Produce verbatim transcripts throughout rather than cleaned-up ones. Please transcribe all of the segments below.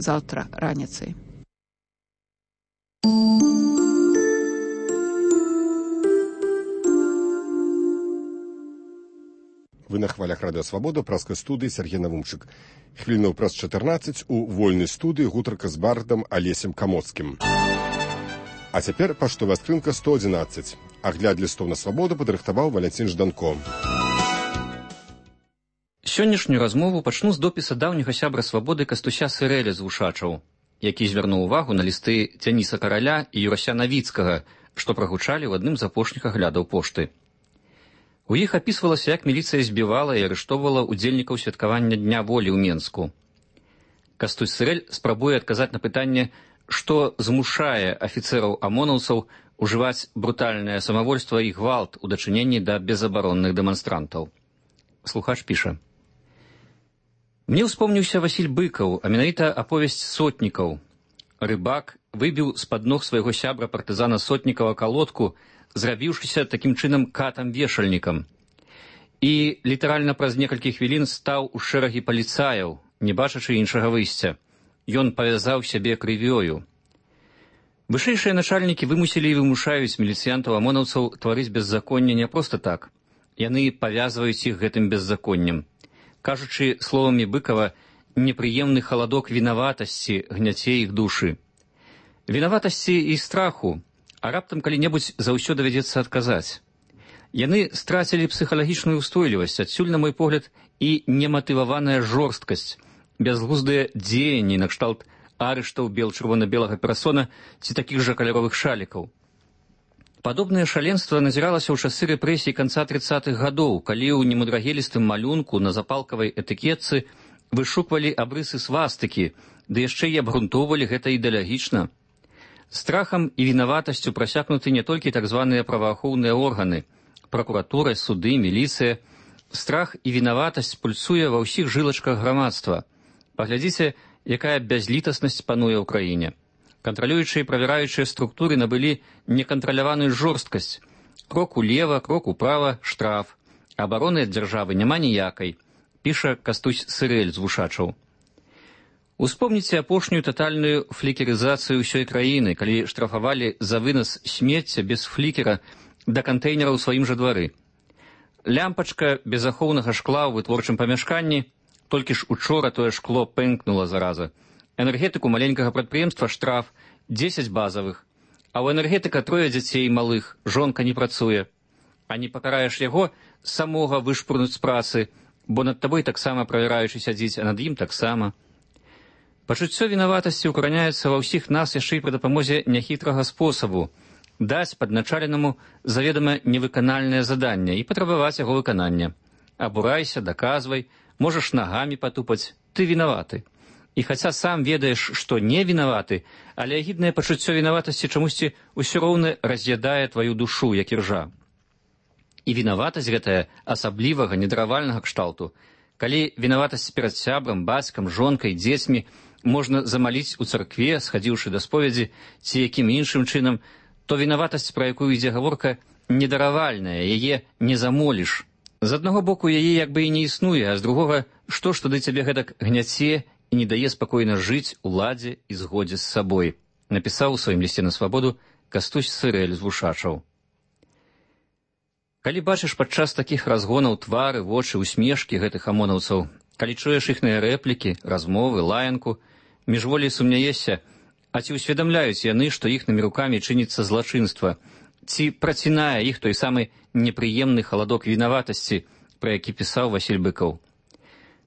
заўтра раніцай. Вы на хвалях Радыё Свабода, праскай студыі Сергей Навумчык. Хвілінаў праз чатырнаццаць у вольнай студыі гутарка з бардам Алесем Камоцкім. А цяпер паштовая скрынка сто адзінаццаць. Агляд лістоў на Свабоду падрыхтаваў Валянцін Жданко. Сённяшнюю размову пачну з допіса даўняга сябра Свабоды Кастуся Сырэля з Вушачаў, які звярнуў увагу на лісты Дзяніса Караля і Юрася Навіцкага, што прагучалі ў адным з апошніх аглядаў пошты. У іх апісвалася, як міліцыя збівала і арыштоўвала удзельнікаў святкавання Дня волі ў Менску. Кастусь Сырэль спрабуе адказаць на пытанне, што змушае афіцэраў амонаўцаў ужываць брутальнае самавольства і гвалт у дачыненні да безабаронных дэманстрантаў. Слухач піша. Мне ўспомніўся Васіль Быкаў, а менавіта аповесць Сотнікаў. Рыбак выбіў з-пад ног свайго сябра партызана Сотнікава калодку, зрабіўшыся такім чынам катам-вешальнікам. І літаральна праз некалькі хвілін стаў у шэрагі паліцаяў, не бачачы іншага выйсця. Ён павязаў сябе крывёю. Вышэйшыя начальнікі вымусілі і вымушаюць міліцыянтаў-амонаўцаў тварыць беззаконне не проста так. Яны павязваюць іх гэтым беззаконнем. Кажучы словамі Быкава, непрыемны халадок вінаватасці гняце іх душы. Вінаватасці і страху, а раптам калі-небудзь заўсё давядзецца адказаць. Яны страцілі псіхалагічную ўстойлівасць, адсюль, на мой погляд, і нематываваная жорсткасць, бязглуздыя дзеянні накшталт арыштаў бел-чырвона-белага перасона ці такіх жа каляровых шалікаў. Падобнае шаленства назіралася ў часы рэпрэсій канца трыццатых гадоў, калі ў немудрагелістым малюнку на запалкавай этыкетцы вышуквалі абрысы свастыкі, ды яшчэ і абгрунтоўвалі гэта ідэалагічна. Страхам і вінаватасцю прасякнуты не толькі так званыя праваахоўныя органы, пракуратура, суды, міліцыя. Страх і вінаватасць пульсуе ва ўсіх жылачках грамадства. Паглядзіце, якая бязлітаснасць пануе ў краіне. Кантралюючыя і правяраючыя структуры набылі некантраляваную жорсткасць. Крок улева, крок управа, штраф. Абароны ад дзяржавы няма ніякай, піша Кастусь Сырэль з Вушачаў. Успомніце апошнюю татальную флікерызацыю ўсёй краіны, калі штрафавалі за вынас смецця без флікера да кантэйнера ў сваім жа двары. Лямпачка без ахоўнага шкла ў вытворчым памяшканні, толькі ж учора тое шкло пэнкнула зараза. Энергетыку маленькага прадпрыемства штраф дзесяць базавых, а ў энергетыка трое дзяцей малых, жонка не працуе. А не пакараеш яго, самога вышпурнуць з працы, бо над табой таксама правяраючы сядзіць, а над ім таксама. Пачуццё вінаватасці ўкараняецца ва ўсіх нас яшчэ і пры дапамозе няхітрага спосабу даць падначаленаму заведама невыканальнае заданне і патрабаваць яго выканання. Абурайся, даказвай, можаш нагамі патупаць, ты вінаваты. І хаця сам ведаеш, што не вінаваты, але агіднае пачуццё вінаватасці чамусьці ўсё роўна раз'ядае тваю душу, як іржа. І вінаватасць гэтая асаблівага, недаравальнага кшталту. Калі вінаватасць перад сябрам, бацькам, жонкай, дзецьмі можна замаліць у царкве, схадзіўшы да споведзі, ці якім іншым чынам, то вінаватасць, пра якую ідзе гаворка, недаравальная, яе не замоліш. З аднаго боку, яе як бы і не існуе, а з другога, што ж тады цябе гэтак гняце і не дае спакойна жыць у ладзе і згодзе з сабой, напісаў у сваім лісце на Свабоду Кастусь Сырэль з Вушачаў. Калі бачыш падчас такіх разгонаў твары, вочы, усмешкі гэтых амонаўцаў, калі чуеш іхныя рэплікі, размовы, лаянку, міжволі сумняешся, а ці ўсведамляюць яны, што іхнымі рукамі чыніцца злачынства, ці працінае іх той самы непрыемны халадок вінаватасці, пра які пісаў Васіль Быкаў.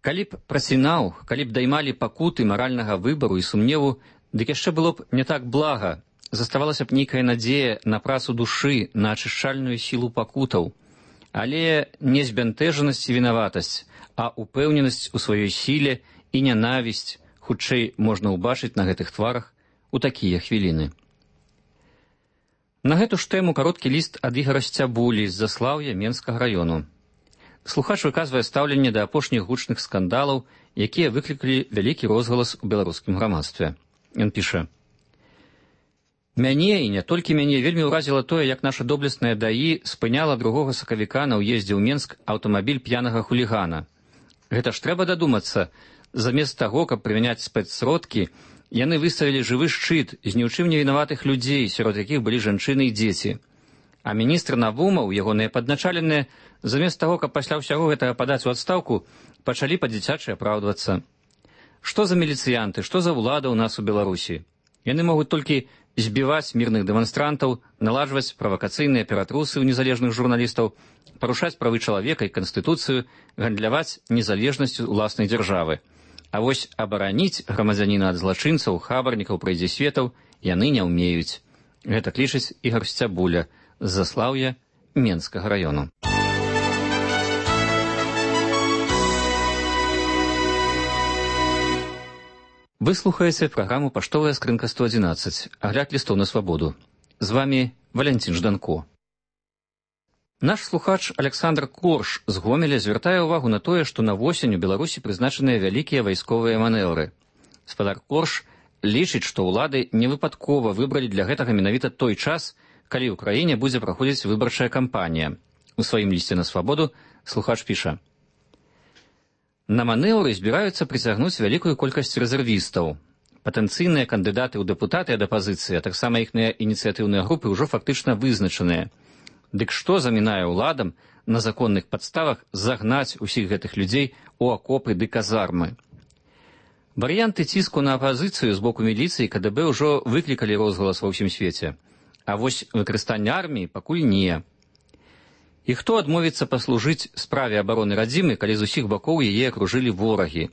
Калі б працінаў, калі б даймалі пакуты маральнага выбару і сумневу, дык яшчэ было б не так блага, заставалася б нейкая надзея на працу душы, на ачышчальную сілу пакутаў. Але не збянтэжанасць і вінаватасць, а упэўненасць у сваёй сіле і нянавісць хутчэй можна ўбачыць на гэтых тварах у такія хвіліны. На гэту ж тэму кароткі ліст ад Ігара Сцябулі з Заслаўя Менскага раёну. Слухач выказвае стаўленне да апошніх гучных скандалаў, якія выклікалі вялікі розгалас у беларускім грамадстве. Ён піша: «Мяне, і не толькі мяне, вельмі ўразіла тое, як наша доблеснае даі спыняла другога сакавіка на ўездзе ў Менск аўтамабіль п'янага хулігана. Гэта ж трэба дадумацца, Замест таго, каб прымяняць спецсродкі, яны выставілі жывы шчыт з ні ў чым не вінаватых людзей, сярод якіх былі жанчыны і дзеці. А міністр Навумаў, ягоныя падначаленыя, замест таго, каб пасля ўсяго гэтага падаць у адстаўку, пачалі па-дзіцячы апраўдвацца. Што за міліцыянты, што за ўлада ў нас у Беларусі? Яны могуць толькі збіваць мірных дэманстрантаў, наладжваць правакацыйныя ператрусы ў незалежных журналістаў, парушаць правы чалавека і канстытуцыю, гандляваць незалежнасцю ўласнай дзяржавы. А вось абараніць грамадзяніна ад злачынцаў, хабарнікаў, прайдзісветаў яны не ўмеюць. Гэта лічыць Ігар Сцябуля з Заслаўя Менскага раёну. Вы слухаеце праграму «Паштовая скрынка сто адзінаццаць», агляд лістоў на свабоду. З вамі Валянцін Жданко. Наш слухач Александр Корш з Гомеля звяртае ўвагу на тое, што на восень у Беларусі прызначаныя вялікія вайсковыя манеўры. Спадар Корш лічыць, што ўлады невыпадкова выбралі для гэтага менавіта той час, калі ў краіне будзе праходзіць выбарчая кампанія. У сваім лісце на свабоду слухач піша: на манеўры збіраюцца прыцягнуць вялікую колькасць рэзервістаў. Патэнцыйныя кандыдаты ў дэпутаты ад апазіцыі, а таксама іхныя ініцыятыўныя групы ўжо фактычна вызначаныя. Дык што замінае ўладам на законных падставах загнаць усіх гэтых людзей у акопы ды казармы? Варыянты ціску на апазіцыю з боку міліцыі і ка дэ бэ ўжо выклікалі розгалас ва ўсім свеце. А вось выкарыстанне арміі пакуль не. І хто адмовіцца паслужыць справе абароны радзімы, калі з усіх бакоў яе акружылі ворагі?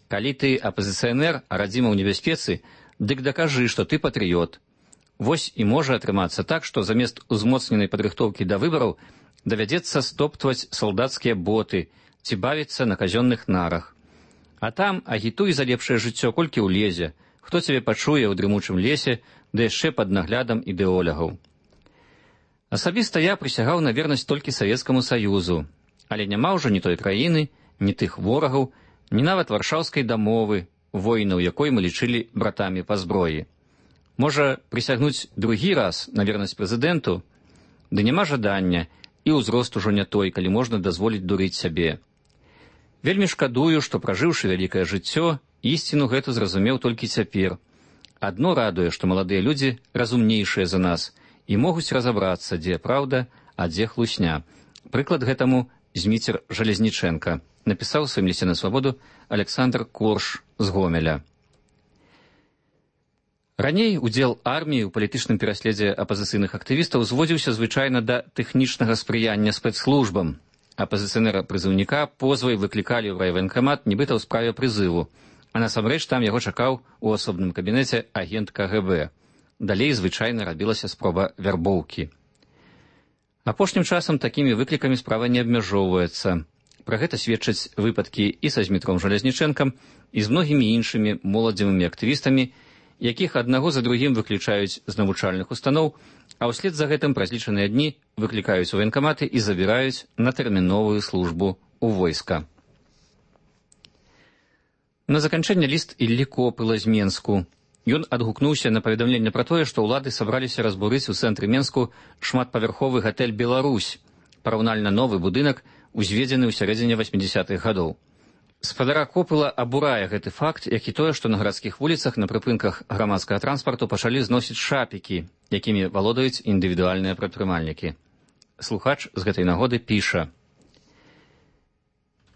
Калі ты апазіцыянер, а радзіма ў небяспецы, дык дакажы, што ты патрыёт. Вось і можа атрымацца так, што замест узмоцненай падрыхтоўкі да выбараў давядзецца стоптваць салдацкія боты ці бавіцца на казённых нарах. А там агітуй за лепшае жыццё, колькі ўлезе, хто цябе пачуе ў дрымучым лесе, да яшчэ пад наглядам ідэолягаў. Асабіста я прысягаў на вернасць толькі Савецкаму Саюзу, але няма ўжо ні той краіны, ні тых ворагаў, ні нават варшаўскай дамовы, воінаў якой мы лічылі братамі па зброі. Можа, прысягнуць другі раз на вернасць прэзідэнту? Ды няма жадання, і ўзрост ужо не той, калі можна дазволіць дурыць сябе. Вельмі шкадую, што, пражыўшы вялікае жыццё, ісціну гэту зразумеў толькі цяпер. Адно радуе, што маладыя людзі разумнейшыя за нас і могуць разабрацца, дзе праўда, а дзе хлусня. Прыклад гэтаму Зміцер Жалезнічэнка, напісаў у сваім лісце на свабоду Александр Корш з Гомеля. Раней удзел арміі ў палітычным пераследзе апазіцыйных актывістаў зводзіўся звычайна да тэхнічнага спрыяння спецслужбам. Апазіцыянера-прызыўніка позвай выклікалі ў райваенкамат нібыта ў справе прызыву, а насамрэч там яго чакаў у асобным кабінеце агент ка гэ бэ. Далей звычайна рабілася спроба вярбоўкі. Апошнім часам такімі выклікамі справа не абмяжоўваецца. Пра гэта сведчаць выпадкі і са Змітром Жалезнічэнкам, і з многімі іншымі моладзевымі актывістамі, якіх аднаго за другім выключаюць з навучальных устаноў, а ўслед за гэтым праз лічаныя дні выклікаюць у ваенкаматы і забіраюць на тэрміновую службу ў войска. На заканчэнне ліст Іллі Копыла з Менску. Ён адгукнуўся на паведамленне пра тое, што ўлады сабраліся разбурыць у цэнтры Менску шматпавярховы гатэль «Беларусь», параўнальна новы будынак, узведзены ў сярэдзіне васьмідзясятых гадоў. Спадара Копыла абурае гэты факт, як і тое, што на гарадскіх вуліцах на прыпынках грамадскага транспарту пачалі зносіць шапікі, якімі валодаюць індывідуальныя прадпрымальнікі. Слухач з гэтай нагоды піша: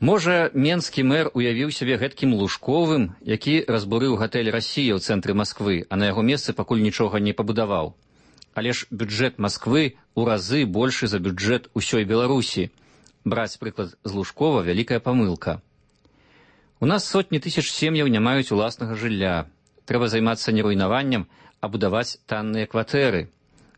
можа, менскі мэр уявіў сябе гэткім Лужковым, які разбурыў гатэль «Расія» ў цэнтры Масквы, а на яго месцы пакуль нічога не пабудаваў. Але ж бюджэт Масквы ў разы большы за бюджэт усёй Беларусі. Браць прыклад з Лужкова – вялікая памылка. У нас сотні тысяч сем'яў не маюць уласнага жылля. Трэба займацца не руйнаваннем, а будаваць танныя кватэры.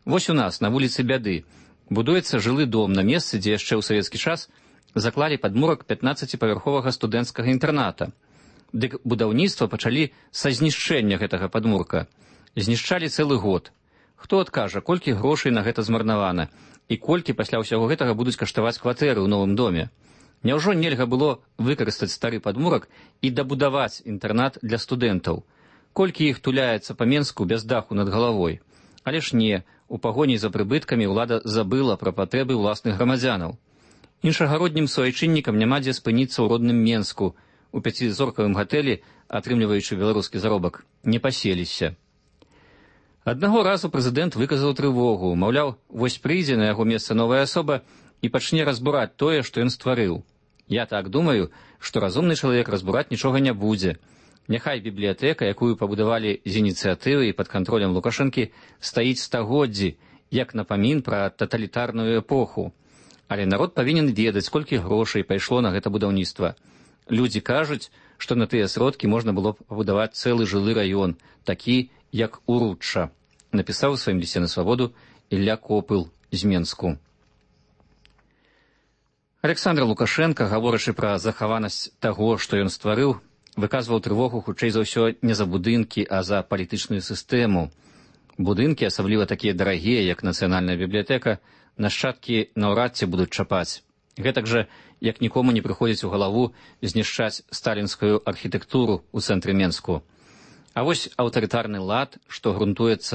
Вось у нас, на вуліцы Бяды, будуецца жылы дом на месцы, дзе яшчэ ў савецкі час заклалі падмурак пятнаццаціпавярховага студэнцкага інтэрната. Дык будаўніцтва пачалі са знішчэння гэтага падмурка. Знішчалі цэлы год. Хто адкажа, колькі грошай на гэта змарнавана, і колькі пасля ўсяго гэтага будуць каштаваць кватэры ў новым доме? Няўжо нельга было выкарыстаць стары падмурак і дабудаваць інтэрнат для студэнтаў? Колькі іх туляецца па Менску без даху над галавой? Але ж не, у пагоні за прыбыткамі ўлада забыла пра патрэбы ўласных грамадзянаў. Іншагароднім суайчыннікам няма дзе спыніцца ў родным Менску. у пяцізоркавым гатэлі, атрымліваючы беларускі заробак, не паселіся. Аднаго разу прэзідэнт выказаў трывогу, маўляў, вось прыйдзе на яго месца новая асоба і пачне разбураць тое, што ён стварыў. Я так думаю, што разумны чалавек разбураць нічога не будзе. Няхай бібліятэка, якую пабудавалі з ініцыятывы і пад кантролем Лукашэнкі, стаіць стагоддзі, як напамін пра таталітарную эпоху. Але народ павінен ведаць, колькі грошай пайшло на гэта будаўніцтва. Людзі кажуць, што на тыя сродкі можна было б пабудаваць цэлы жылы раён, такі, як Уручча, напісаў у сваім лісце на свабоду Ілля Копыл з Менску. Александр Лукашенко, гаворачы пра захаванасць таго, што ён стварыў, выказваў трывогу хутчэй за ўсё не за будынкі, а за палітычную сістэму. Будынкі, асабліва такія дарагія, як Нацыянальная бібліятэка, нашчадкі наўрад ці будуць чапаць. Гэтак жа, як нікому не прыходзіць у галаву знішчаць сталінскую архітэктуру ў цэнтры Менску. А вось аўтарытарны лад, што грунтуецца